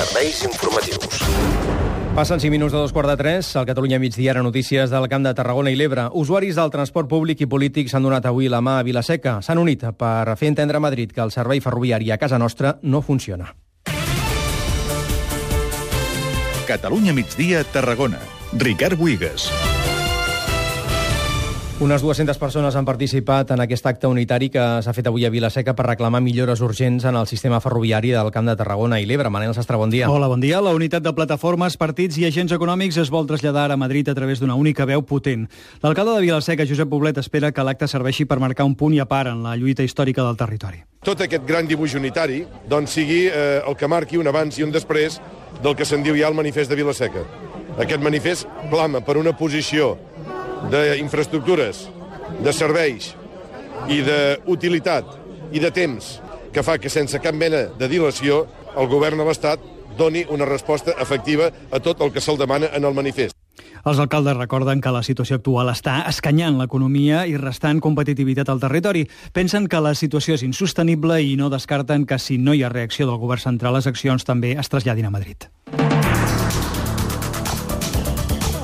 Serveis informatius. Passen 5 minuts de 2:45. Al Catalunya migdia, ara notícies del Camp de Tarragona i l'Ebre. Usuaris del transport públic i polític s'han donat avui la mà a Vila-seca. S'han unit per fer entendre a Madrid que el servei ferroviari a casa nostra no funciona. Catalunya migdia, Tarragona. Ricard Buigas. Unes 200 persones han participat en aquest acte unitari que s'ha fet avui a Vila-seca per reclamar millores urgents en el sistema ferroviari del Camp de Tarragona i l'Ebre. Manel Sastre, bon dia. Hola, bon dia. La unitat de plataformes, partits i agents econòmics es vol traslladar a Madrid a través d'una única veu potent. L'alcalde de Vila-seca, Josep Poblet, espera que l'acte serveixi per marcar un punt i a part en la lluita històrica del territori. Tot aquest gran dibuix unitari sigui el que marqui un abans i un després del que se'n diu ja el manifest de Vila-seca. Aquest manifest clama per una posició d'infraestructures, de serveis i d'utilitat i de temps que fa que sense cap mena de dilació el govern de l'Estat doni una resposta efectiva a tot el que se'l demana en el manifest. Els alcaldes recorden que la situació actual està escanyant l'economia i restant competitivitat al territori. Pensen que la situació és insostenible i no descarten que si no hi ha reacció del govern central, les accions també es traslladin a Madrid.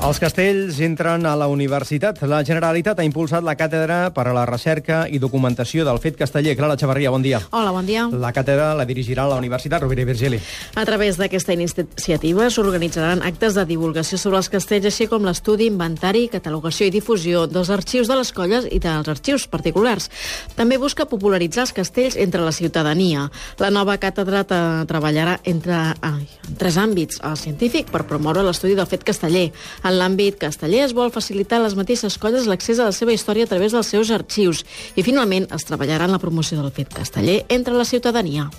Els castells entren a la universitat. La Generalitat ha impulsat la càtedra per a la recerca i documentació del fet casteller. Clara Chavarria, bon dia. Hola, bon dia. La càtedra la dirigirà la Universitat Rovira i Virgili. A través d'aquesta iniciativa s'organitzaran actes de divulgació sobre els castells, així com l'estudi, inventari, catalogació i difusió dels arxius de les colles i dels arxius particulars. També busca popularitzar els castells entre la ciutadania. La nova càtedra treballarà en 3 àmbits. El científic, per promoure l'estudi del fet casteller. En l'àmbit casteller es vol facilitar a les mateixes colles l'accés a la seva història a través dels seus arxius. I, finalment, es treballarà en la promoció del fet casteller entre la ciutadania.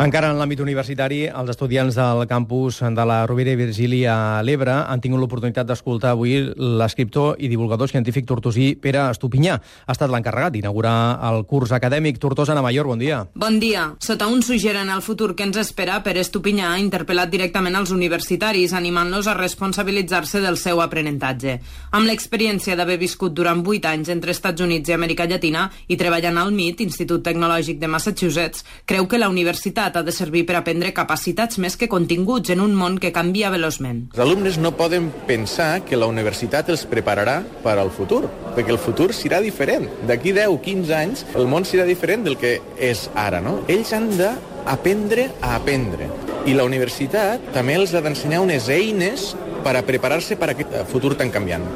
Encara en l'àmbit universitari, els estudiants del campus de la Rovira i Virgili a l'Ebre han tingut l'oportunitat d'escoltar avui l'escriptor i divulgador científic tortosí Pere Estupinyà. Ha estat l'encarregat d'inaugurar el curs acadèmic. Tortosa, Ana Mayor, bon dia. Bon dia. Sota un suggeren el futur que ens espera, Pere Estupinyà ha interpel·lat directament als universitaris, animant-los a responsabilitzar-se del seu aprenentatge. Amb l'experiència d'haver viscut durant 8 anys entre Estats Units i Amèrica Llatina i treballant al MIT, Institut Tecnològic de Massachusetts, creu que la universitat ha de servir per aprendre capacitats més que continguts en un món que canvia veloçment. Els alumnes no poden pensar que la universitat els prepararà per al futur, perquè el futur serà diferent. D'aquí 10-15 anys el món serà diferent del que és ara, no? Ells han d'aprendre a aprendre. I la universitat també els ha d'ensenyar unes eines per a preparar-se per a aquest futur tan canviant.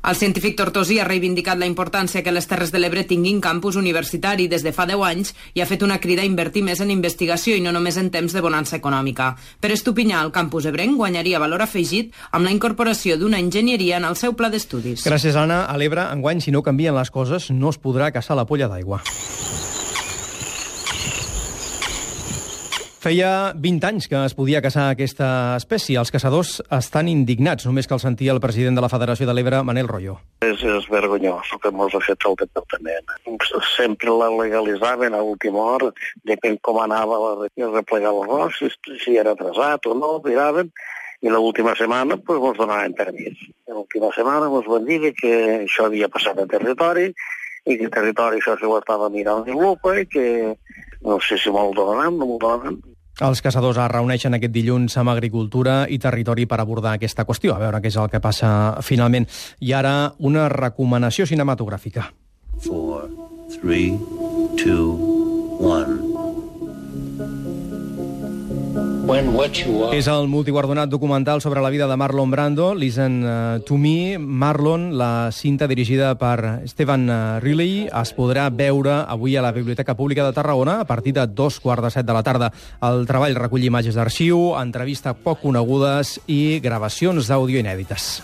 El científic tortosí ha reivindicat la importància que les Terres de l'Ebre tinguin campus universitari des de fa 10 anys i ha fet una crida a invertir més en investigació i no només en temps de bonança econòmica. Per Estupinyà, el campus ebrenc guanyaria valor afegit amb la incorporació d'una enginyeria en el seu pla d'estudis. Gràcies, Anna. A l'Ebre, enguany, si no canvien les coses, no es podrà caçar la polla d'aigua. Feia 20 anys que es podia caçar aquesta espècie. Els caçadors estan indignats, només cal sentir el president de la Federació de l'Ebre, Manel Royo. És vergonyós el que ens ha fet el departament. Sempre la legalitzaven a última hora, depèn com anava a replegar l'arròs, si era atrasat o no, miraven, i l'última setmana ens donaven permís. L'última setmana ens van dir que això havia passat a territori i que el territori això s'ho estava mirant de lupa i que no sé si me'l donaran, no me'l donaran. Els caçadors es reuneixen aquest dilluns amb Agricultura i Territori per abordar aquesta qüestió, a veure què és el que passa finalment. I ara una recomanació cinematogràfica. 4, 3, 2, 1... És el multiguardonat documental sobre la vida de Marlon Brando, Listen to Me, Marlon, la cinta dirigida per Stephen Riley, es podrà veure avui a la Biblioteca Pública de Tarragona a partir de 2:15 de la tarda. El treball recull imatges d'arxiu, entrevistes poc conegudes i gravacions d'àudio inèdites.